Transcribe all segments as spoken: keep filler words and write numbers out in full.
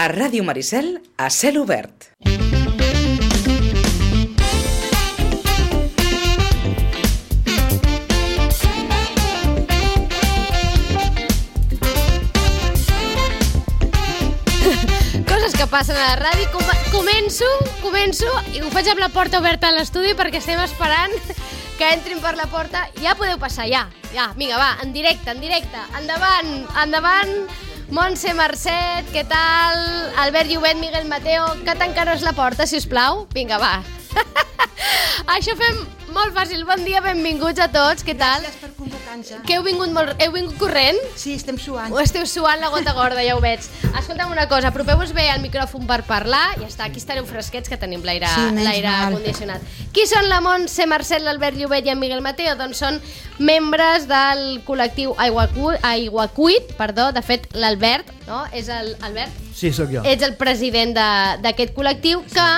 A Ràdio Maricel, a cel obert. Coses que passen a la ràdio. Com començo, començo i ho faig amb la porta oberta a l'estudi perquè estem esperant que entrin per la porta. Ja podeu passar, ja. Ja, vinga, va, en directe, en directe. Endavant, endavant. Montse Marcet, què tal? Albert Llobet, Miguel Mateo, que tancaros la porta, si us plau. Vinga, va. Això fem molt fàcil. Bon dia, benvinguts a tots, què tal? Gràcies per convocar-nos. Que heu vingut, molt... heu vingut corrent? Sí, estem suant. Ho esteu suant la gota gorda, ja ho veig. Escolta'm una cosa, apropeu-vos bé al micròfon per parlar. Ja està, aquí estareu fresquets, que tenim l'aire sí, condicionat. Qui són la Montse Marcet, l'Albert Llobet i en Miguel Mateo? Doncs són membres del col·lectiu Aiguacuit, perdó, de fet l'Albert, no? És el Albert? Sí, sóc jo. Ets el president d'aquest col·lectiu, que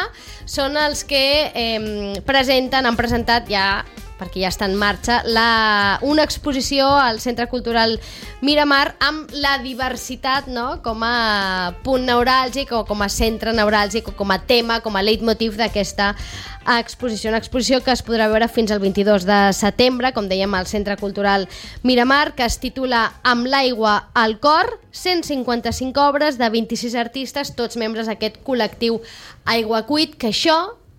són els que eh, presenten, han presentat ja, perquè ja està en marxa, la, una exposició al Centre Cultural Miramar amb la diversitat, no?, com a punt neuràlgic o com a centre neuràlgic o com a tema, com a leitmotiv d'aquesta exposició. Una exposició que es podrà veure fins al vint-i-dos de setembre, com dèiem, al Centre Cultural Miramar, que es titula Amb l'aigua al cor, cent cinquanta-cinc obres de vint-i-sis artistes, tots membres d'aquest col·lectiu Aiguacuit. Que això,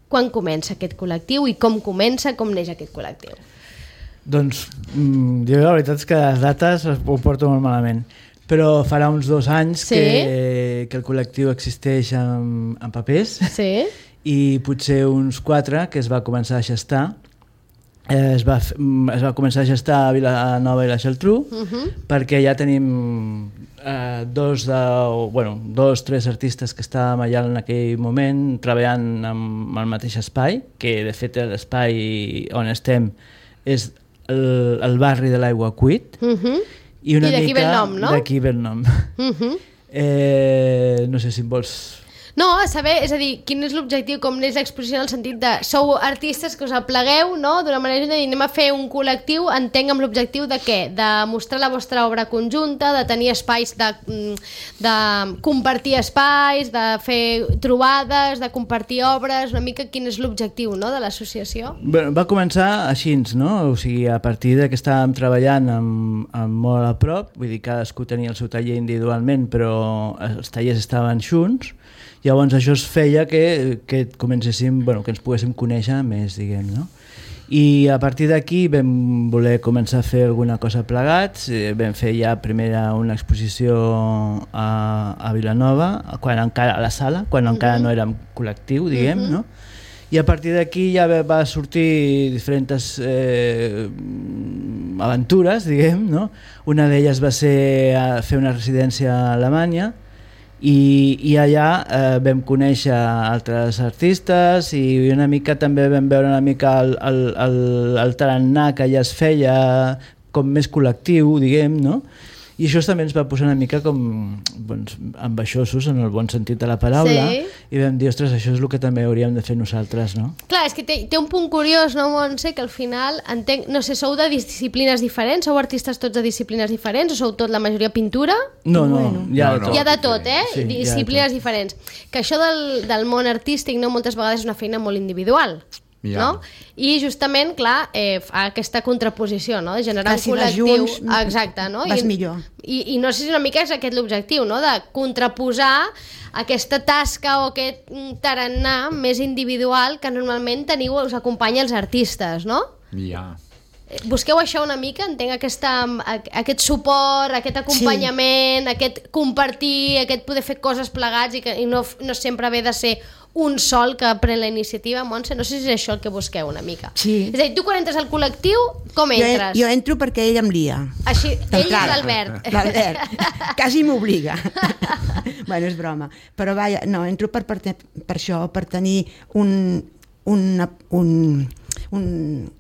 quan comença aquest col·lectiu i com comença, com neix aquest col·lectiu? Doncs jo la veritat és que les dates ho porto molt malament, però farà uns dos anys sí? que, que el col·lectiu existeix en, en papers, sí? I potser uns quatre que es va començar a gestar. Eh, es, va, es va començar a gestar a Vilanova i la Geltrú, uh-huh. perquè ja tenim eh, dos, de, bueno, dos, tres artistes que estàvem allà en aquell moment treballant amb el mateix espai, que de fet l'espai on estem és el, el barri de l'Aiguacuit. Uh-huh. I, una I d'aquí ve el nom, no? D'aquí ve el nom. Uh-huh. eh, no sé si em vols... No, a saber, és a dir, quin és l'objectiu, com neix l'exposició en el sentit de sou artistes que us aplegueu, no?, d'una manera de dir, anem a fer un col·lectiu, entenc amb l'objectiu de què? De mostrar la vostra obra conjunta, de tenir espais, de, de compartir espais, de fer trobades, de compartir obres, una mica quin és l'objectiu, no?, de l'associació? Bueno, va començar així, no? O sigui, a partir de que estàvem treballant amb, amb molt a prop, vull dir, cadascú tenia el seu taller individualment, però els tallers estaven junts. Llavors això es feia que, que comencéssim, bueno, que ens poguéssim conèixer més, diguem, no? I a partir d'aquí vam voler començar a fer alguna cosa plegats. Vam fer ja primera una exposició a, a Vilanova, quan encara a la sala, quan uh-huh. encara no érem col·lectiu, diguem, uh-huh. no? I a partir d'aquí ja va sortir diferents eh, aventures, diguem, no? Una d'elles va ser a fer una residència a Alemanya, I, i allà eh, vam conèixer altres artistes i una mica també vam veure una mica el, el, el, el tarannà que ja es feia com més col·lectiu, diguem, no? I això també ens va posar una mica com doncs, ambaixosos en el bon sentit de la paraula, sí. I vam dir, ostres, això és el que també hauríem de fer nosaltres, no? Clar, és que té, té un punt curiós, no, Montse, que al final, entenc, no sé, sou de disciplines diferents, sou artistes tots de disciplines diferents, o sou tot la majoria pintura? No, no, bueno. hi ha, no, no. Hi ha de tot, eh? Sí, disciplines diferents. Que això del, del món artístic, no, moltes vegades és una feina molt individual. Ja. No? I justament, clar, eh, fa aquesta contraposició, no?, de generar que si un col·lectiu junts, exacte, no? vas I, millor i, i no sé si una mica és aquest l'objectiu, no?, de contraposar aquesta tasca o aquest tarannà més individual que normalment teniu, us acompanya els artistes, no? Ja. Busqueu això una mica, entenc aquesta, aquest suport, aquest acompanyament, sí. Aquest compartir, aquest poder fer coses plegats i, que, i no, no sempre haver de ser un sol que pren la iniciativa. Montse, no sé si és això el que busqueu una mica. Sí. És a dir, tu quan entres al col·lectiu, com entres? Jo, jo entro perquè ell em lia. Així, ell és l'Albert. L'Albert, quasi m'obliga. Bueno, és broma. Però vaja, no, entro per, per, per això, per tenir un... un, un un,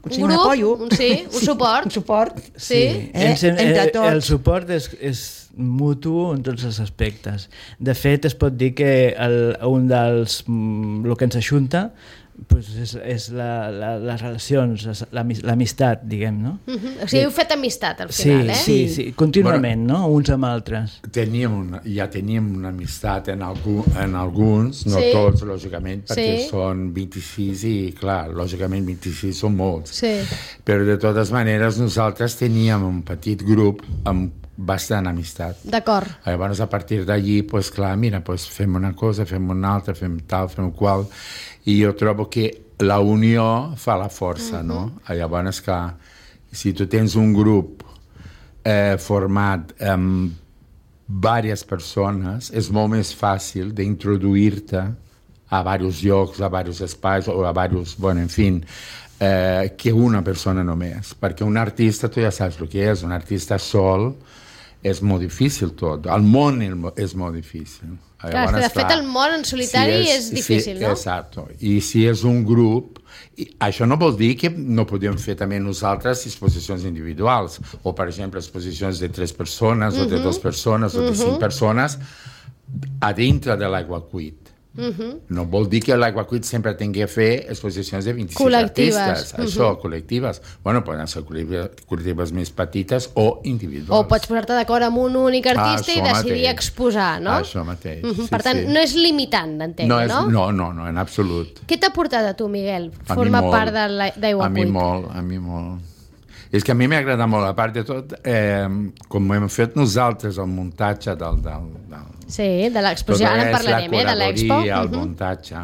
un grup, apoyo. Un, sí, un suport. Un suport. Sí. Eh? Entre tots. El suport és, és mutu en tots els aspectes. De fet, es pot dir que el, un dels... el que ens ajunta pues és, és la, la, les relacions, l'amistat, diguem, no? Uh -huh. O sigui, heu fet amistat al Sí, final, eh? sí, sí, contínuament, Bueno, no? Uns amb altres. Teníem una, ja teníem una amistat en, algú, en alguns, no Sí. tots, lògicament, perquè Sí. són vint-i-sis i, clar, lògicament vint-i-sis són molts. Sí. Però de totes maneres nosaltres teníem un petit grup amb bastant amistat. D'acord. Llavors, a partir d'allí, pues, clar, mira, pues, fem una cosa, fem una altra, fem tal, fem qual, i jo trobo que la unió fa la força, uh-huh. no? Llavors, clar, si tu tens un grup eh, format amb diverses persones, és molt més fàcil d'introduir-te a diversos llocs, a diversos espais, o a diversos, bueno, en fi, eh, que una persona només. Perquè un artista, tu ja saps el que és, un artista sol, és molt difícil tot. El món és molt difícil. Clar, Llavors, de fet, el món en solitari si és, és difícil, si, no? Exacto. I si és un grup, i això no vol dir que no podem fer també nosaltres exposicions individuals, o, per exemple, exposicions de tres persones, uh-huh. o de dues persones, o de uh-huh. cinc persones, a dintre de l'Aiguacuit. Uh-huh. No vol dir que l'Aiguacuit sempre tingui a fer exposicions de vint-i-sis col·lectives. Artistes. Uh-huh. Això, col·lectives. Bueno, poden ser col·lectives més petites o individuals. O pots posar-te d'acord amb un únic artista ah, i decidir mateix. exposar, no? Això mateix. Uh-huh. Sí, per tant, sí. no és limitant, entenc, no? És, no? no, no, no, en absolut. Què t'ha portat a tu, Miguel? A Formar molt, part d'Aiguacuit. A mi molt, a mi molt. És que a mi m'agrada molt, a part de tot, eh, com hem fet nosaltres, el muntatge del... del, del sí, de l'exposició, ara en parlarem, eh, de l'Expo. El uh-huh. muntatge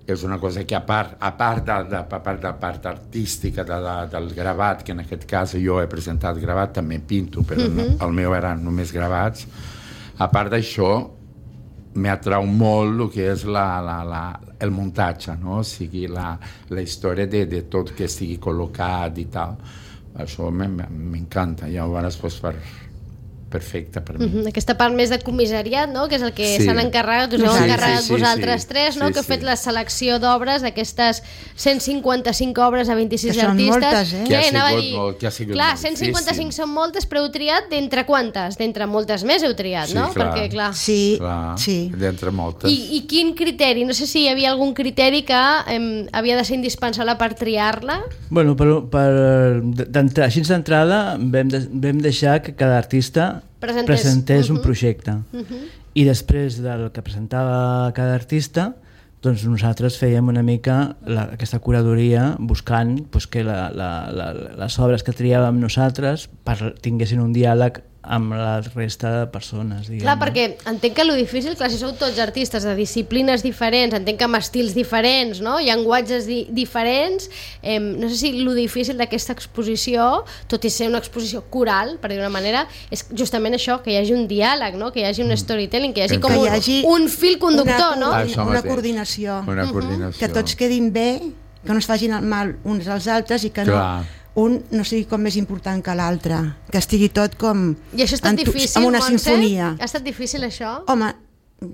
és una cosa que a part, a part, de, de, a part de la part artística de la, del gravat, que en aquest cas jo he presentat gravat, també pinto, però uh-huh. no, el meu eren només gravats, a part d'això m'atrau molt el que és la, la, la, el muntatge, no? O sigui, la, la història de, de tot que estigui col·locat i tal. Això m'encanta, llavors pues, per, perfecte per mi. Uh-huh. Aquesta part més de comissariat, no? Que és el que sí. s'han encarregat, us heu sí, encarregat sí, sí, vosaltres sí. tres, no? Sí, Que heu sí. fet la selecció d'obres d'aquestes cent cinquanta-cinc obres a vint-i-sis Que són artistes. moltes, eh? Que ha Eh, anava a sigut dir, molt- que ha sigut clar, molt cent cinquanta-cinc difícil. són moltes, però heu triat d'entre quantes? D'entre moltes més heu triat, Sí, no? clar. Perquè, clar... Sí, Clar, sí. d'entre moltes. I, I quin criteri? No sé si hi havia algun criteri que em, havia de ser indispensable per triar-la. Bueno, per, per, d'entrada, així d'entrada vam, de, vam deixar que cada artista Presentés. presentés Uh-huh. un projecte. Uh-huh. I després del que presentava cada artista, doncs nosaltres fèiem una mica la, aquesta curadoria buscant pues, que la, la, la, les obres que triàvem nosaltres per, tinguessin un diàleg amb la resta de persones, diguem. Clar, perquè entenc que lo difícil, clar, si sou tots artistes de disciplines diferents, entenc que amb estils diferents, no? Llenguatges di diferents, eh, no sé si lo difícil d'aquesta exposició, tot i ser una exposició coral, per dir una manera, és justament això, que hi hagi un diàleg, no? Que hi hagi un storytelling, que hi hagi Que com hi un, hagi un fil conductor, una, no? Això Una mateix. coordinació. Una coordinació. Que tots quedin bé, que no es facin el mal uns als altres i que no, Clar. un no sigui com més important que l'altre, que estigui tot com I això ha estat en tu- difícil, amb una Montse? sinfonia. Ha estat difícil, això? Home,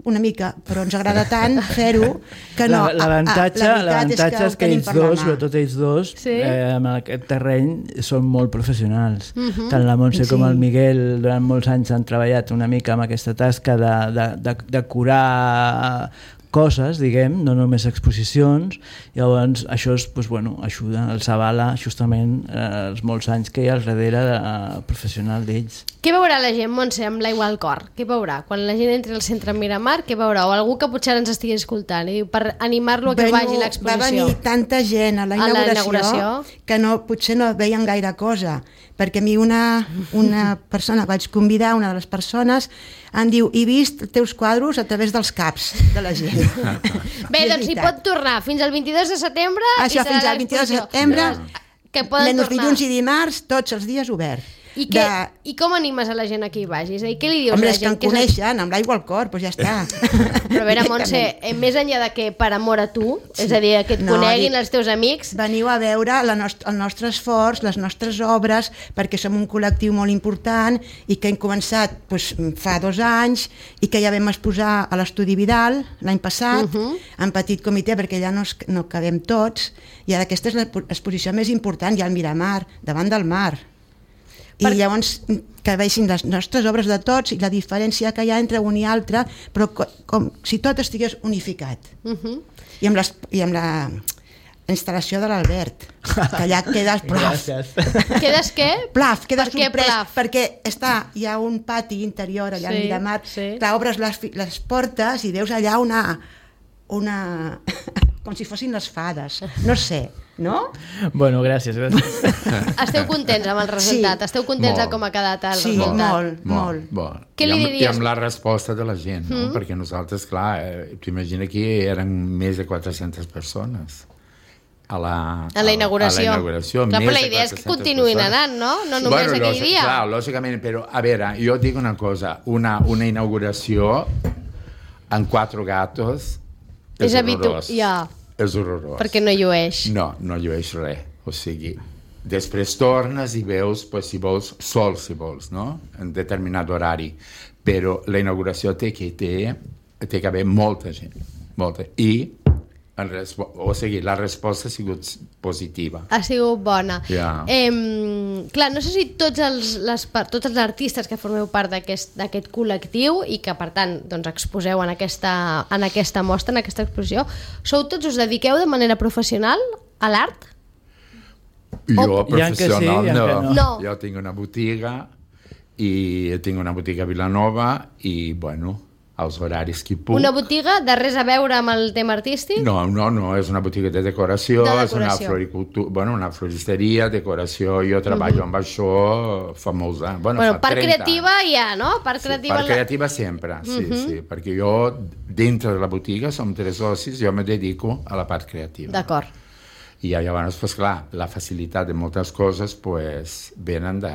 una mica, però ens agrada tant fer-ho que no. L'avantatge Ah, ah, la veritat l'avantatge és que tenim ells per la dos, mà. sobretot ells dos, Sí. eh, en aquest terreny són molt professionals. Mhm. Tant la Montse com Sí. el Miguel durant molts anys han treballat una mica amb aquesta tasca de, de, de, de curar coses, diguem, no només exposicions. Llavors això és, doncs, bueno, ajuda, els avala justament eh, els molts anys que hi ha al darrere de, eh, professional d'ells. Què veurà la gent, Montse, amb l'aigua al cor? Què veurà? Quan la gent entri al centre Miramar, què veurà? O algú que potser ens estigui escoltant i diu, per animar-lo a que Bueno, vagi a va l'exposició. venir tanta gent a la A la inauguració, inauguració. que no, potser no veien gaire cosa, perquè a mi una, una persona, vaig convidar una de les persones, em diu, he vist els teus quadros a través dels caps de la gent. Bé, I és doncs hi veritat. pot tornar fins al vint-i-dos de setembre. Això, i serà fins al vint-i-dos de l'exposició. setembre, Que poden menys tornar. dilluns i dimarts, tots els dies oberts. I, què, I com animes a la gent a que hi vagi? És a dir, què li dius Home, a la és que gent? em Què és el- coneixen, amb l'aigua al cor, doncs ja està. Però a veure, Montse, eh, més enllà de que per amor a tu, és a dir, que et No, coneguin dic- els teus amics, Veniu a veure la nost el nostre esforç, les nostres obres, perquè som un col·lectiu molt important i que hem començat doncs, fa dos anys i que ja vam exposar a l'Estudi Vidal l'any passat, uh -huh. en petit comitè, perquè ja no, es, no cabem tots, i ara aquesta és l'exposició més important, ja al Miramar, davant del mar. I Per- llavors que vegin les nostres obres de tots i la diferència que hi ha entre un i altre, però co com si tot estigués unificat. uh -huh. I amb, les, i amb la instal·lació de l'Albert, que allà quedes plaf. Gràcies. Quedes què? Plaf, quedes Per què sorprès, plaf? perquè està, hi ha un pati interior allà Sí, a Miramar, sí. clar, obres les, fi- les portes i veus allà una... una... com si fossin les fades, no sé, no? Bueno, gràcies, gràcies. Esteu contents amb el resultat? Sí. Esteu contents de Molt. com ha quedat el Sí, resultat? molt, molt. molt. Què I li amb, diries? I amb la resposta de la gent, no? Mm. Perquè nosaltres, clar, eh, t'imagina que eren més de quatre-centes persones a la, A la inauguració. A la inauguració. Clar, més però la de idea és que quatre-centes continuïn persones. anant, no? No només aquell lògic- dia. Clar, lògicament, però a veure, jo et dic una cosa, una, una inauguració en quatre gatos és, És habitu- horrorós. ja. És horrorós. Perquè no llueix. No, no llueix res. O sigui, després tornes i veus, pues, si vols, sol, si vols, no? En determinat horari. Però la inauguració té que, té, té que haver molta gent. Molta. I, en respo- o sigui, la resposta ha sigut positiva. Ha sigut bona. Ja. Eh, clar, no sé si tots els, les, per- tots els artistes que formeu part d'aquest d'aquest col·lectiu i que, per tant, doncs, exposeu en aquesta, en aquesta mostra, en aquesta exposició, sou tots, us dediqueu de manera professional a l'art? Jo, Hi ha que sí, professional, hi ha no. que no. No. Jo tinc una botiga i tinc una botiga a Vilanova i, bueno, als horaris que puc. Una botiga de res a veure amb el tema artístic? No, no, no, és una botiga de decoració, De és una decoració. floricultura, bueno, una floristeria, decoració, jo treballo amb això fa molts anys. Bueno, Bueno, fa part trenta creativa anys. hi ha, no? Part Sí, creativa... part creativa sempre, sí, sí, perquè jo, dintre de la botiga, som tres socis, jo me dedico a la part creativa. D'acord. I llavors, pues, clar, la facilitat de moltes coses pues, venen de-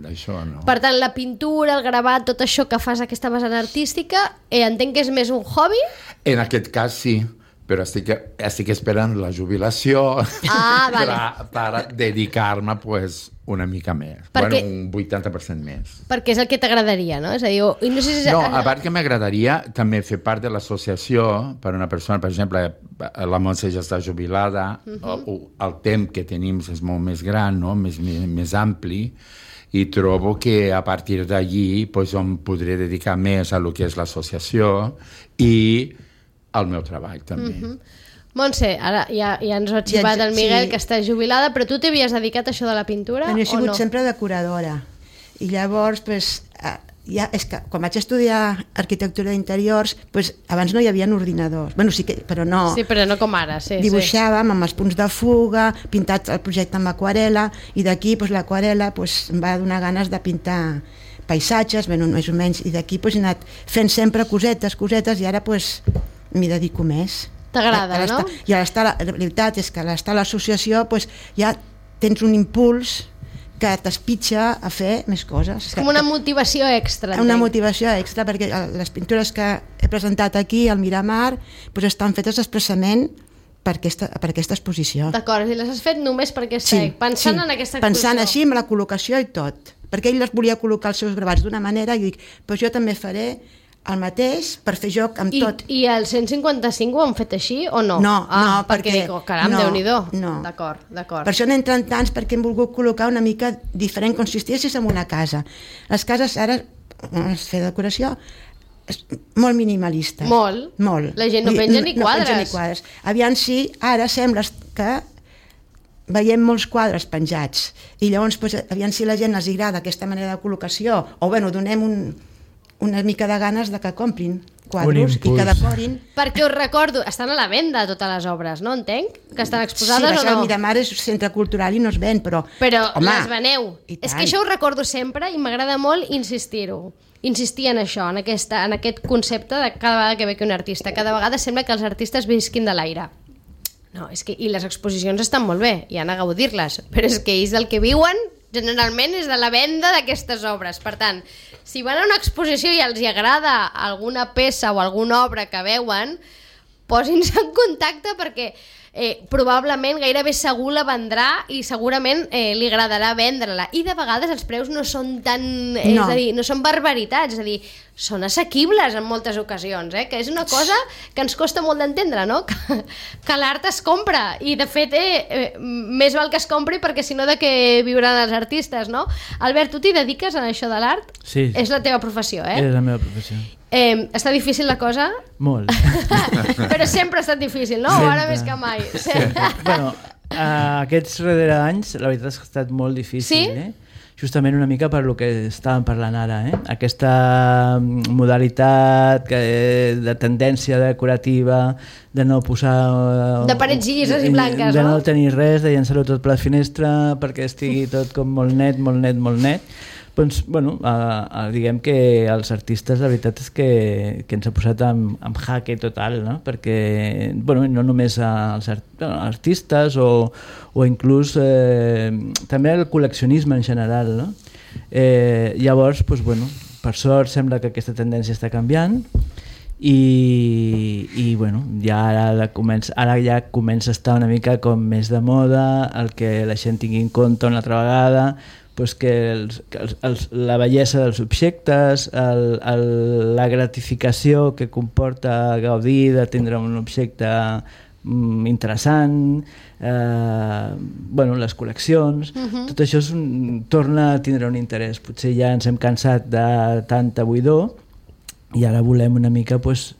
d'això, no? Per tant, la pintura, el gravat, tot això que fas aquesta vessant artística, eh, entenc que és més un hobby? En aquest cas sí, però estic, estic esperant la jubilació Ah, vale. per, per dedicar-me pues, una mica més. Perquè- Bueno, un vuitanta per cent més. Perquè és el que t'agradaria, no? És a dir, o- i no sé si... No, a part que m'agradaria també fer part de l'associació per una persona, per exemple, la Montse ja està jubilada, uh -huh. o, el temps que tenim és molt més gran, no? més, més, més ampli, i trobo que a partir d'allí pues, em podré dedicar més a lo que és l'associació i al meu treball també. Uh -huh. Montse, ara ja, ja ens ho ha xivat Ja, el Miguel, sí. que està jubilada, però tu t'havies dedicat a això de la pintura Bueno, he o sigut no? sempre decoradora. I llavors, pues, eh, ja, és que quan vaig estudiar arquitectura d'interiors, pues, abans no hi havia ordinadors. Bueno, sí que, però no... Sí, però no com ara, sí. Dibuixàvem amb els punts de fuga, pintat el projecte amb aquarela, i d'aquí pues, l'aquarela pues, em va donar ganes de pintar paisatges, bueno, més o menys, i d'aquí pues, he anat fent sempre cosetes, cosetes, i ara pues, m'hi dedico més. T'agrada, Ara no? està- I ara està, la, la veritat és que ara està a l'associació, pues, ja tens un impuls que t'espitxa a fer més coses. És com una motivació extra. Una entenc. motivació extra, perquè eh, les pintures que he presentat aquí al Miramar pues, estan fetes expressament per aquesta, per aquesta exposició. D'acord, i les has fet només per aquesta... pensant en aquesta exposició. Pensant així, amb la col·locació i tot. Perquè ell les volia col·locar els seus gravats d'una manera i dic, doncs jo també faré el mateix per fer joc amb I, tot. I el cent cinquanta-cinc ho han fet així o no? No, ah, no, perquè... Dic, oh, caram, no, Déu-n'hi-do. no. D'acord, d'acord. Per això n'he entrat tants, perquè hem volgut col·locar una mica diferent, com si estiguessis en una casa. Les cases ara, es fer decoració, és molt minimalista. Molt. Molt. La gent no I- penja ni No penja ni quadres. quadres. Aviam si ara sembla que veiem molts quadres penjats i llavors pues, aviam si la gent els agrada aquesta manera de col·locació o bueno, donem un, una mica de ganes de que comprin quadros i impuls. que decorin. Perquè us recordo, estan a la venda totes les obres, no entenc? Que estan Sí, exposades això o el no? Miramar és centre cultural i no es ven, però... Però home, les veneu. i És tant. que això ho recordo sempre i m'agrada molt insistir-ho. Insistir en això, en, aquesta, en aquest concepte de cada vegada que ve que un artista. Cada vegada sembla que els artistes visquin de l'aire. No, és que, i les exposicions estan molt bé, i han a gaudir-les, però és que ells del que viuen generalment és de la venda d'aquestes obres. Per tant, si van a una exposició i els hi agrada alguna peça o alguna obra que veuen, posin-se en contacte perquè eh, probablement gairebé segur la vendrà i segurament eh, li agradarà vendre-la. I de vegades els preus no són tan... Eh, No. És a dir, no són barbaritats. És a dir, són assequibles en moltes ocasions, eh? Que és una cosa que ens costa molt d'entendre, no? Que, que l'art es compra i de fet eh, eh, més val que es compri perquè si no de què viuran els artistes, no? Albert, tu t'hi dediques a això de l'art? Sí. És la teva professió, eh? És la meva professió. Eh, està difícil la cosa? Molt. Però sempre ha estat difícil, no? Sempre. O ara més que mai? Sempre. Bueno, uh, aquests darrers anys la veritat és que ha estat molt difícil, sí? eh? Justament una mica per lo que estàvem parlant ara, eh? Aquesta modalitat que, de tendència decorativa, de no posar... De parets llises i blanques, de no? no? De no tenir res, de llançar-ho tot per la finestra perquè estigui tot com molt net, molt net, molt net. Doncs, bueno, a, a, diguem que els artistes, la veritat és que, que ens ha posat en, en jaque total, no? Perquè, bueno, no només als art, bueno, artistes o, o inclús eh, també el col·leccionisme en general, no? Eh, llavors, doncs, bueno, per sort sembla que aquesta tendència està canviant i, i bueno, ja ara, comença, ara ja comença a estar una mica com més de moda el que la gent tingui en compte una altra vegada, pues que, els, que els, els, la bellesa dels objectes, el, el, la gratificació que comporta gaudir de tindre un objecte mm, interessant, eh, bueno, les col·leccions, uh-huh. Tot això és un, torna a tindre un interès. Potser ja ens hem cansat de tanta buidor i ara volem una mica pues,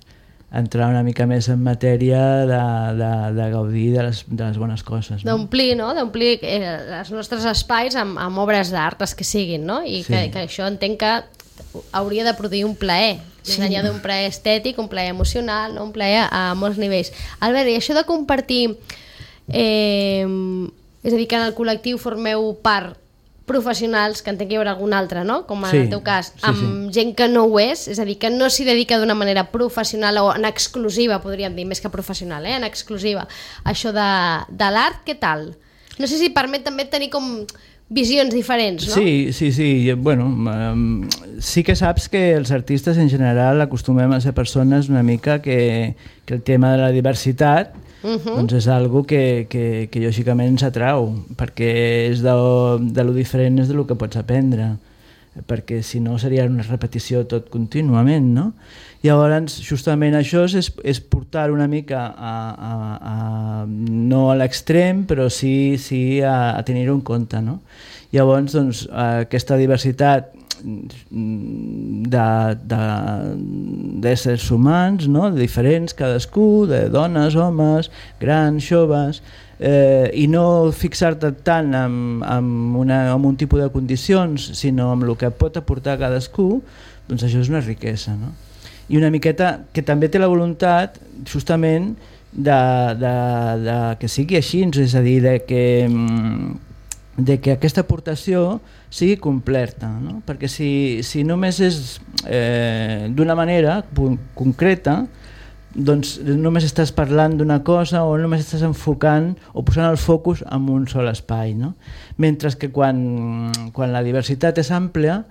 entrar una mica més en matèria de, de, de gaudir de les, de les bones coses. No? D'omplir, no? D'omplir eh, els nostres espais amb, amb obres d'art, les que siguin, no? I sí. que, que això entenc que hauria de produir un plaer, més sí. enllà d'un plaer estètic, un plaer emocional, no? Un plaer a, a molts nivells. Albert, i això de compartir, eh, és a dir, que en el col·lectiu formeu part professionals, que entenc que hi haurà algun altre, no? Com en sí, el teu cas, amb sí, sí. gent que no ho és, és a dir, que no s'hi dedica d'una manera professional o en exclusiva, podríem dir, més que professional, eh? En exclusiva. Això de, de l'art, què tal? No sé si permet també tenir com visions diferents, no? Sí, sí, sí. Bueno, um, sí que saps que els artistes en general acostumem a ser persones una mica que, que el tema de la diversitat Uh-huh. doncs és algo que, que, que lògicament ens atrau, perquè és de, de lo diferent és de lo que pots aprendre, perquè si no seria una repetició tot contínuament, no? Llavors, justament això és, és portar una mica a, a, a, no a l'extrem, però sí, sí a, a tenir-ho en compte, no? Llavors, doncs, aquesta diversitat d'éssers humans, no? Diferents cadascú, de dones, homes, grans, joves, eh, i no fixar-te tant en, en, una, en un tipus de condicions, sinó en el que pot aportar cadascú, doncs això és una riquesa, no? I una miqueta que també té la voluntat justament de, de, de que sigui així, és a dir, de que de que aquesta aportació sigui completa, no? Perquè si, si només és eh, d'una manera concreta, doncs només estàs parlant d'una cosa o només estàs enfocant o posant el focus en un sol espai, no? Mentre que quan, quan la diversitat és àmplia,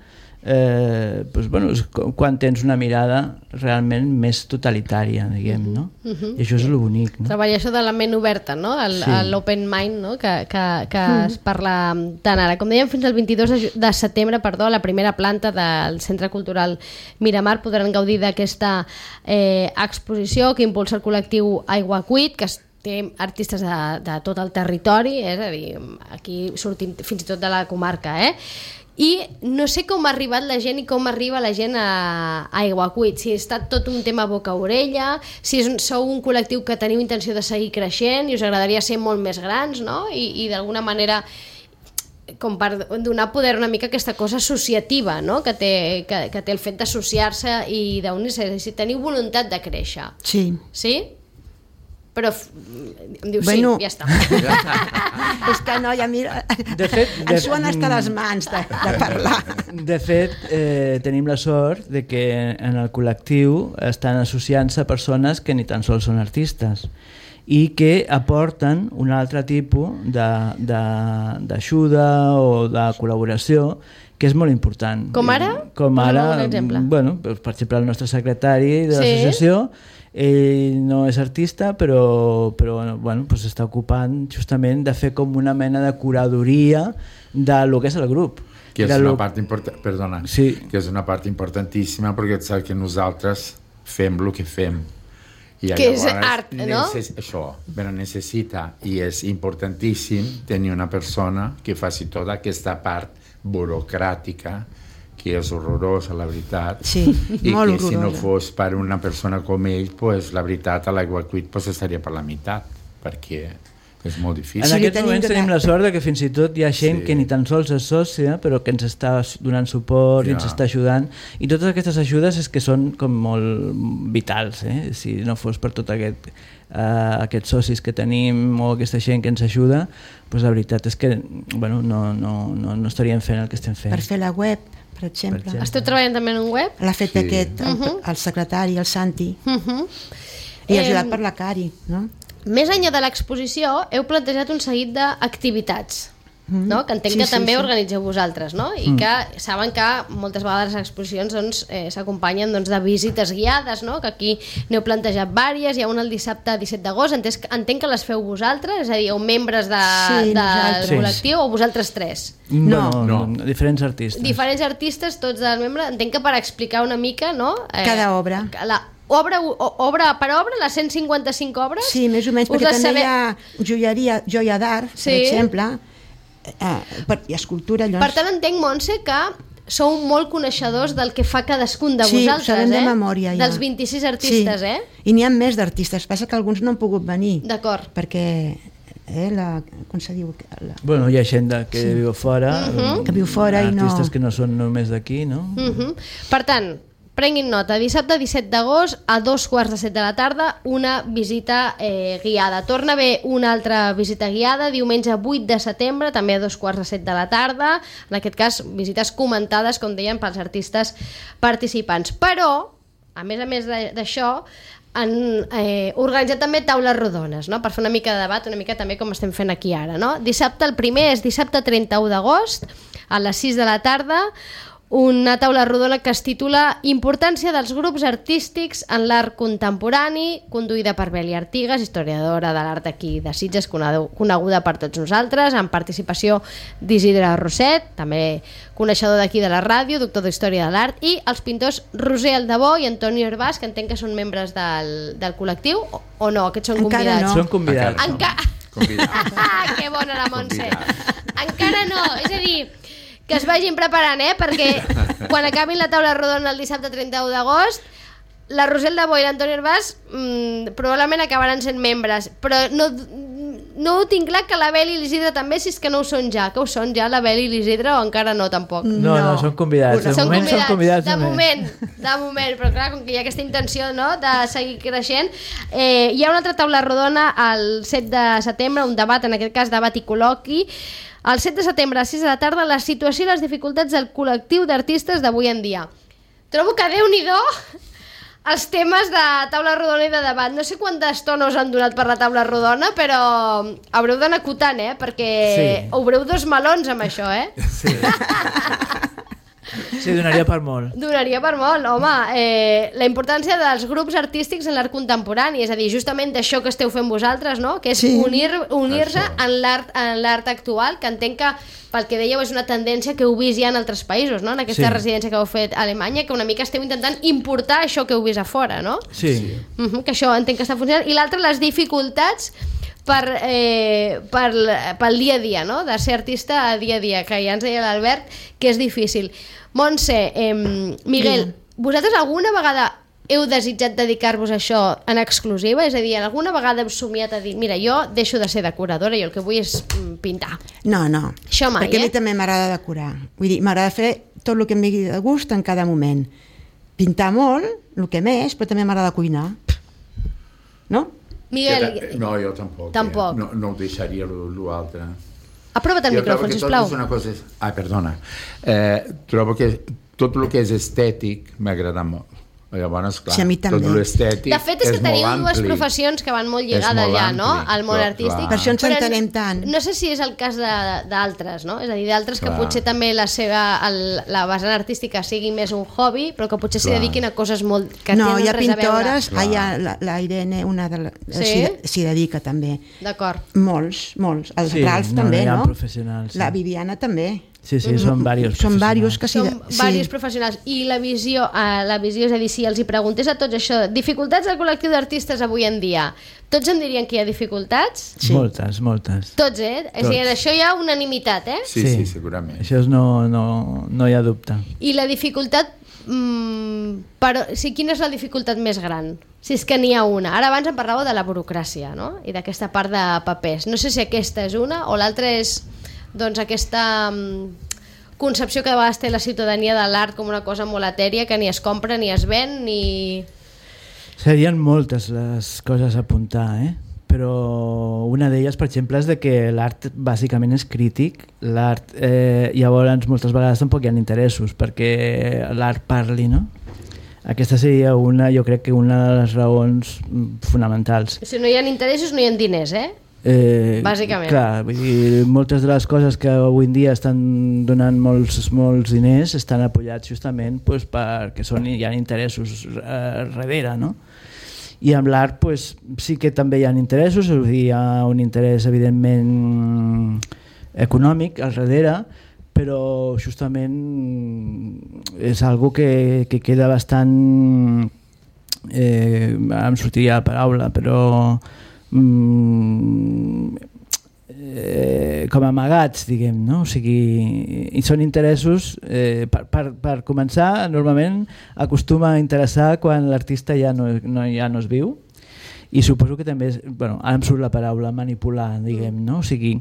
eh, doncs, bueno, és quan tens una mirada realment més totalitària, diguem, no? Uh-huh. I això és el bonic, no? Treballar això de la ment oberta, no? El, sí. L'open mind, no? Que, que, que uh-huh. es parla tant ara. Com dèiem, fins al vint-i-dos de setembre, perdó, a la primera planta del Centre Cultural Miramar podran gaudir d'aquesta eh, exposició que impulsa el col·lectiu Aigua Cuit, que es té artistes de, de tot el territori, eh? És a dir, aquí sortint fins i tot de la comarca, eh? I no sé com ha arribat la gent i com arriba la gent a, a Aiguacuit, si ha estat tot un tema boca-orella, si és un, sou un col·lectiu que teniu intenció de seguir creixent i us agradaria ser molt més grans, no? I, i d'alguna manera com per donar poder una mica a aquesta cosa associativa, no? que, té, que, que té el fet d'associar-se i d'unir-se, si teniu voluntat de créixer. Sí. Sí? Però em diu bueno, sí, ja està. És que no, ja mira, de fet, de, ens suen hasta les mans de, de parlar. De fet, eh, tenim la sort de que en el col·lectiu estan associant-se persones que ni tan sols són artistes i que aporten un altre tipus d'ajuda o de col·laboració que és molt important. Com ara? Com ara, un exemple. Bueno, per exemple, el nostre secretari de sí. l'associació, ell no és artista, però, però bueno, pues està ocupant justament de fer com una mena de curadoria de lo que és el grup. que és Era una lo- part important, perdona, Sí. que és una part importantíssima perquè saps que nosaltres fem el que fem. I Que és llavors art, no? necess- Això, però necessita, i és importantíssim tenir una persona que faci tota aquesta part burocràtica, que és horrorosa, la veritat, Sí, i molt que si no horrorosa. fos per una persona com ell, pues, la veritat, a l'Aigua Cuit pues, estaria per la meitat, perquè és molt difícil. En Sí, li aquests tenim moments donat- tenim la sort de que fins i tot hi ha gent Sí. que ni tan sols és sòcia, però que ens està donant suport i ens Ja. està ajudant. I totes aquestes ajudes és que són com molt vitals. Eh? Si no fos per tot aquest, uh, aquests socis que tenim o aquesta gent que ens ajuda, doncs la veritat és que bueno, no, no, no, no estaríem fent el que estem fent. Per fer la web, per exemple. Per exemple. Esteu treballant també en un web? L'ha fet Sí. aquest, el, Mhm. el secretari, el Santi, Uh -huh. i ajudat Em, per la Cari, no? Més enllà de l'exposició, heu plantejat un seguit d'activitats, Mm. no? Que entenc Sí, que sí, també sí. organitzeu vosaltres, no? I Mm. que saben que moltes vegades les exposicions doncs, eh, s'acompanyen doncs, de visites guiades, no? Que aquí n'heu plantejat vàries, hi ha una el dissabte disset d'agost, entenc, entenc que les feu vosaltres, és a dir, o membres de, Sí, del nosaltres. col·lectiu, o vosaltres tres? No. no, No. diferents artistes. Diferents artistes, tots del membre, entenc que per explicar una mica, no? Eh, Cada obra. La, obra, o- obra per obra, les cent cinquanta-cinc obres? Sí, més o menys, Us perquè les també sabe- hi ha joieria, joia d'art, Sí. per exemple, eh, per, i escultura, llavors... Per tant, entenc, Montse, que sou molt coneixedors del que fa cadascun de sí, vosaltres, sabem eh? de memòria, ja. Dels vint-i-sis artistes, sí. eh? I n'hi ha més d'artistes, passa que alguns no han pogut venir. D'acord. Perquè, eh, la, com se diu? La, Bueno, hi ha gent de, que sí. viu fora, Mhm. Que viu fora i no- artistes que no són només d'aquí, no? Uh -huh. Per tant, prenguin nota, dissabte disset d'agost a dos quarts de set de la tarda una visita eh, guiada. Torna a haver una altra visita guiada diumenge vuit de setembre, també a dos quarts de set de la tarda, en aquest cas visites comentades, com deien, pels artistes participants. Però, a més a més de- d'això, han eh, organitzat també taules rodones, no? Per fer una mica de debat, una mica també com estem fent aquí ara, no? Dissabte, el primer és dissabte trenta-u d'agost a les sis de la tarda, una taula rodona que es titula Importància dels grups artístics en l'art contemporani, conduïda per Beli Artigas, historiadora de l'art aquí de Sitges, coneguda per tots nosaltres, amb participació d'Isidre Roset, també coneixedor d'aquí de la ràdio, doctor d'Història de l'Art, i els pintors Roser Aldebó i Antonio Herbàs, que entenc que són membres del, del col·lectiu, o, o no, aquests són Encara convidats? no. Són convidats. Encara no. Enca... Convidats. que bona la Montse. Convidats. Encara no, és a dir, que es vagin preparant, eh? Perquè quan acabin la taula rodona el dissabte trenta-u d'agost, la Rosel de Bo i l'Antoni Herbàs mmm, probablement acabaran sent membres, però no, no ho tinc clar que la Bel i l'Isidre també, si és que no ho són ja. Que ho són ja, la Bel i l'Isidre, o encara no, tampoc? No, no, No. són convidats. De Són moment són convidats. de només. moment, de moment, però clar, com que hi ha aquesta intenció, no?, de seguir creixent, eh, hi ha una altra taula rodona el set de setembre, un debat, en aquest cas debat i col·loqui, el set de setembre a les sis de la tarda, la situació i les dificultats del col·lectiu d'artistes d'avui en dia. Trobo que Déu-n'hi-do els temes de taula rodona i de debat. No sé quanta estona us han donat per la taula rodona, però haureu d'anar acotant, eh? Perquè Sí. obreu dos melons amb això, eh? Sí. Sí, donaria per molt. Donaria per molt, home. Eh, la importància dels grups artístics en l'art contemporani, és a dir, justament d'això que esteu fent vosaltres, no? Que és Sí. unir, unir-se Això. en l'art en l'art actual, que entenc que, pel que dèieu, és una tendència que heu vist ja en altres països, no? En aquesta Sí. residència que heu fet a Alemanya, que una mica esteu intentant importar això que heu vist a fora, no? Sí. Uh -huh, que això entenc que està funcionant. I l'altre, les dificultats per, eh, per, pel dia a dia, no? De ser artista a dia a dia, que ja ens deia l'Albert que és difícil. Montse, eh, Miguel, vosaltres alguna vegada heu desitjat dedicar-vos a això en exclusiva? És a dir, alguna vegada heu somiat a dir, mira, jo deixo de ser decoradora, jo el que vull és mm, pintar. No, no. Això mai, Perquè a eh? mi també m'agrada decorar. Vull dir, m'agrada fer tot el que em vingui de gust en cada moment. Pintar molt, el que més, però també m'agrada cuinar. No? Miguel, No, jo tampoc. Tampoc. Eh? No, no ho deixaria l'altre. aprova't el Jo micròfon, trobo que tot sisplau. és una cosa... Ah, perdona. Eh, trobo que tot el que és estètic m'agrada molt. Llavors, clar, Sí, a mi també. tot l'estètic De fet, és que és teniu molt dues ampli. professions que van molt lligades molt ja, no?, ampli, al món clar, artístic. clar. Per això ens Però entenem tant. No sé si és el cas de- d'altres, no? És a dir, d'altres que Clar. potser també la seva el, la vessant artística sigui més un hobby, però que potser s'hi Clar. dediquin a coses molt que No, tenen hi ha res a veure. pintores, Clar. ah, hi ha la, la Irene, una de la, Sí? s'hi s'hi dedica també. D'acord. Molts, molts. El Sí, Ralf no, també, no hi ha no? professionals, sí. La Viviana també. Sí, sí, són diversos Són diversos que sí. Són diversos professionals. I la visió, eh, la visió, és a dir, si els hi preguntés a tots això, dificultats del col·lectiu d'artistes avui en dia, tots em dirien que hi ha dificultats? Sí. Moltes, moltes. Tots, eh? Tots. És a dir, en això hi ha unanimitat, eh? Sí, sí, sí, segurament. Això és no, no, no hi ha dubte. I la dificultat, mmm, però, sí, quina és la dificultat més gran? Si és que n'hi ha una. Ara abans em parlàveu de la burocràcia, no? I d'aquesta part de papers. No sé si aquesta és una o l'altra és, doncs, aquesta mm, concepció que de vegades té la ciutadania de l'art com una cosa molt etèria que ni es compra, ni es ven, ni... Serien moltes les coses a apuntar, eh? Però una d'elles, per exemple, és de que l'art bàsicament és crític. L'art, eh, llavors, moltes vegades tampoc hi ha interessos perquè l'art parli, no? Aquesta seria una, jo crec que una de les raons fonamentals. Si no hi ha interessos, no hi ha diners, eh? Eh, Bàsicament. Clar, vull dir, moltes de les coses que avui en dia estan donant molts, molts diners estan apoyats justament pues, perquè són, hi ha interessos eh, darrere, no? I amb l'art pues, sí que també hi ha interessos, vull dir, hi ha un interès evidentment econòmic al darrere, però justament és algo que, que queda bastant eh, em sortiria la paraula, però Mm, eh, com amagats, diguem, no? O sigui, i són interessos, eh, per, per, per començar, normalment acostuma a interessar quan l'artista ja no, no, ja no es viu, i suposo que també és, bueno, ara em surt la paraula manipular, diguem, no? O sigui,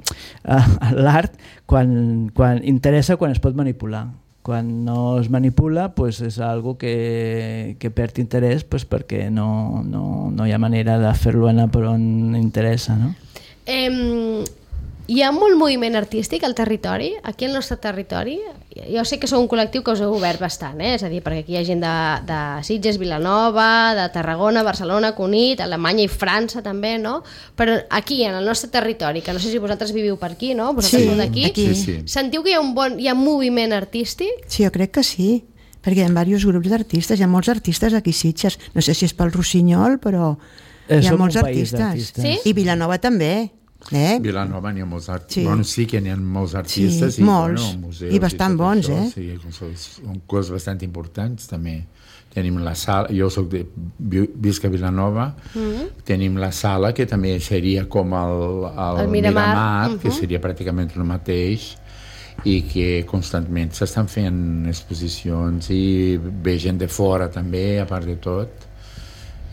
eh, l'art quan, quan interessa quan es pot manipular. Quan no es manipula pues és algo que, que perd interès pues perquè no, no, no hi ha manera de fer-lo anar per on interessa, no? Eh, hi ha molt moviment artístic al territori, aquí al nostre territori. Jo sé que sou un col·lectiu que us heu obert bastant, eh? És a dir, perquè aquí hi ha gent de, de Sitges, Vilanova, de Tarragona, Barcelona, Cunit, Alemanya i França també, no? Però aquí, en el nostre territori, que no sé si vosaltres viviu per aquí, no? Vosaltres Sí, sou d'aquí. aquí. Sí, sí. Sentiu que hi ha un bon hi ha moviment artístic? Sí, jo crec que sí, perquè hi ha diversos grups d'artistes, hi ha molts artistes aquí a Sitges, no sé si és pel Rossinyol, però Eh, hi ha som molts un país artistes. d'artistes. Sí? I Vilanova també. Eh? Vilanova n'hi ha molts artistes. Sí. Bueno, sí que n'hi ha molts artistes. Sí, i, molts. Bueno, museus I bastant tot bons, això, eh? Sí, són coses bastant importants, també. Tenim la sala, jo soc de visc a Vilanova, mm-hmm. Tenim la sala, que també seria com el, el, El Miramar, Miramar uh-huh. que seria pràcticament el mateix, i que constantment s'estan fent exposicions i ve gent de fora també, a part de tot.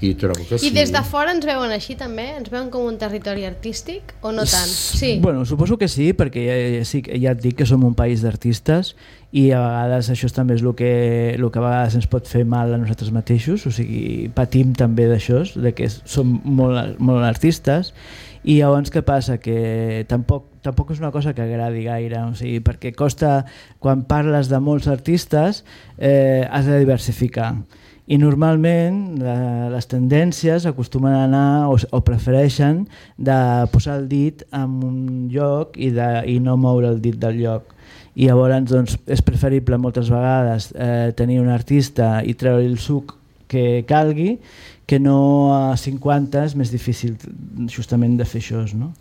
I trobo que sí. I des de fora ens veuen així també? Ens veuen com un territori artístic o no tant? Sí. Bueno, suposo que sí, perquè ja, ja, sí, ja et dic que som un país d'artistes i a vegades això també és el que, el que a vegades ens pot fer mal a nosaltres mateixos, o sigui, patim també d'això, de que som molt, molt artistes, i llavors què passa? Que tampoc, tampoc és una cosa que agradi gaire, o sigui, perquè costa, quan parles de molts artistes, eh, has de diversificar. I normalment la, les tendències acostumen a anar o, o prefereixen de posar el dit en un lloc i, de, i no moure el dit del lloc. I llavors doncs, és preferible moltes vegades eh, tenir un artista i treure el suc que calgui, que no a cinquanta és més difícil justament de fer això, no?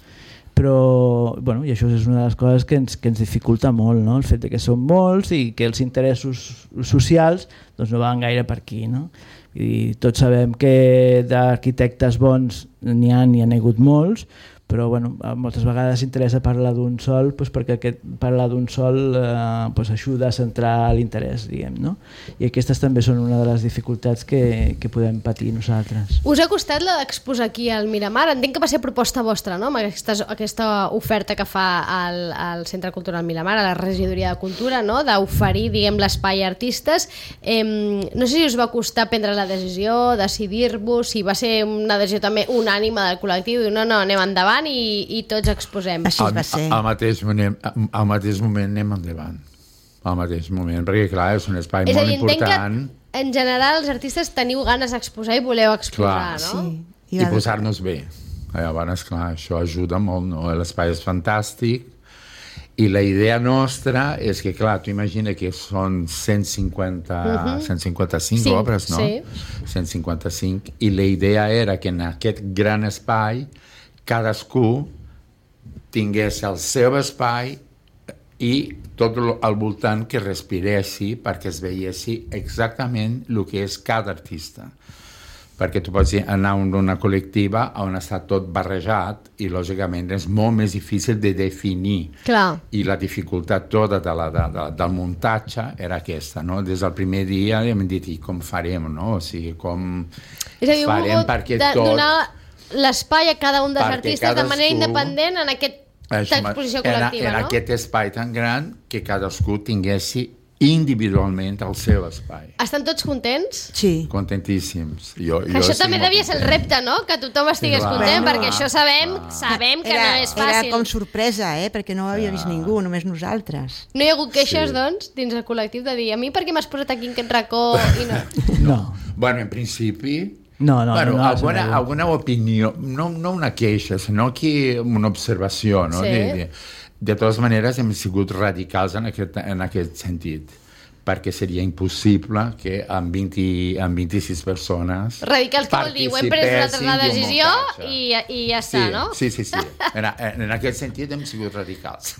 Però, bueno, i això és una de les coses que ens, que ens dificulta molt, no? El fet de que som molts i que els interessos socials doncs, no van gaire per aquí, no? I tots sabem que d'arquitectes bons n'hi ha, n'hi ha hagut molts, però bueno, moltes vegades interessa parlar d'un sol doncs perquè aquest parlar d'un sol eh, doncs ajuda a centrar l'interès, diguem, no? I aquestes també són una de les dificultats que, que podem patir nosaltres. Us ha costat la d'exposar aquí al Miramar? Entenc que va ser proposta vostra, no? Amb aquesta, aquesta oferta que fa al, al Centre Cultural Miramar, a la Regidoria de Cultura, no? D'oferir, diguem, l'espai a artistes. Eh, no sé si us va costar prendre la decisió, decidir-vos, si va ser una decisió també unànima del col·lectiu, i no, no, anem endavant i, i tots exposem. Així va ser. Al, al, mateix moment, al mateix moment anem endavant. Al mateix moment, perquè clar, és un espai és molt dir, important. Que en general els artistes teniu ganes d'exposar i voleu exposar, Clar, no? Sí. I, I posar-nos bé. Llavors, clar, això ajuda molt, no? L'espai és fantàstic i la idea nostra és que, clar, tu imagina que són cent cinquanta, uh-huh. cent cinquanta-cinc Sí, obres, no? sí. cent cinquanta-cinc, i la idea era que en aquest gran espai cadascú tingués el seu espai i tot al voltant que respiressi perquè es veiessi exactament el que és cada artista. Perquè tu pots anar a una col·lectiva on està tot barrejat i, lògicament, és molt més difícil de definir. Clar. I la dificultat tota de la, de, de, del muntatge era aquesta, no? Des del primer dia hem dit, i com farem, no? O sigui, com És a dir, farem perquè de, tot... donar l'espai a cada un dels Perquè artistes cadascú... de manera independent en aquesta exposició col·lectiva, en, en no? aquest espai tan gran que cadascú tinguessi individualment el seu espai. Estan tots contents? Sí. Contentíssims. Jo, Que jo això estic també molt devia ser el content. repte, no? Que tothom estigués Clar. content, Bueno, perquè això sabem, clar. sabem que era, no és fàcil. Era com sorpresa, eh? Perquè no ho havia vist ningú, només nosaltres. No hi ha hagut queixes, Sí. doncs, dins el col·lectiu de dir a mi per què m'has posat aquí en aquest racó i no... No, Bueno, en principi... no, no. bueno, no, no alguna, no. alguna opinió, no, no una queixa, sinó que una observació, no? Sí. De, de, de totes maneres hem sigut radicals en aquest, en aquest sentit, perquè seria impossible que amb, vint, amb vint-i-sis persones Radicals, què vol dir? Ho hem pres nosaltres la participessin decisió d'un muntatge. i, i ja Sí, està, no? sí, sí, sí. En, en aquest sentit hem sigut radicals.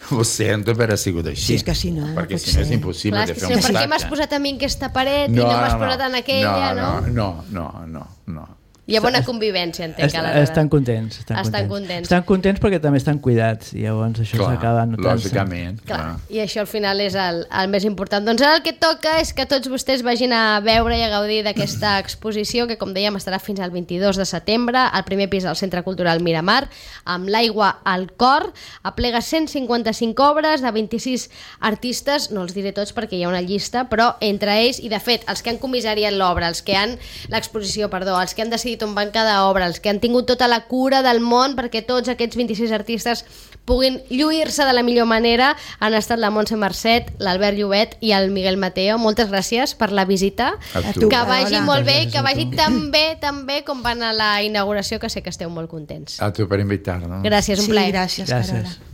Ho sento, però ha sigut així. Sí, és que si no, no Perquè pot si no és ser. impossible Clar, és de que fer si un no, per què muntatge. m'has posat a mi en aquesta paret i no m'has posat en aquella, no? No, no, no, no, no. Hi ha bona convivència, entenc, Est, aleshores. estan contents. Estan, Estan contents. contents. Estan contents perquè també estan cuidats, i llavors això Clar, s'acaba notant-se. lògicament. Clar, Clar. i això al final és el, el més important. Doncs ara el que toca és que tots vostès vagin a veure i a gaudir d'aquesta exposició que, com dèiem, estarà fins al vint-i-dos de setembre al primer pis del Centre Cultural Miramar, amb l'aigua al cor. Aplega cent cinquanta-cinc obres de vint-i-sis artistes, no els diré tots perquè hi ha una llista, però entre ells, i de fet, els que han comissariat l'obra, els que han l'exposició, perdó, els que han decidit on van cada obra, els que han tingut tota la cura del món perquè tots aquests vint-i-sis artistes puguin lluir-se de la millor manera, han estat la Montse Marcet, l'Albert Llobet i el Miguel Mateo. Moltes gràcies per la visita. A A tu. tu. Que vagi Hola. molt bé, Gràcies que a vagi tu. tan bé, tan bé com van a la inauguració, que sé que esteu molt contents. A tu per invitar-nos. Gràcies, un Sí, plaer. gràcies, Gràcies. Carola.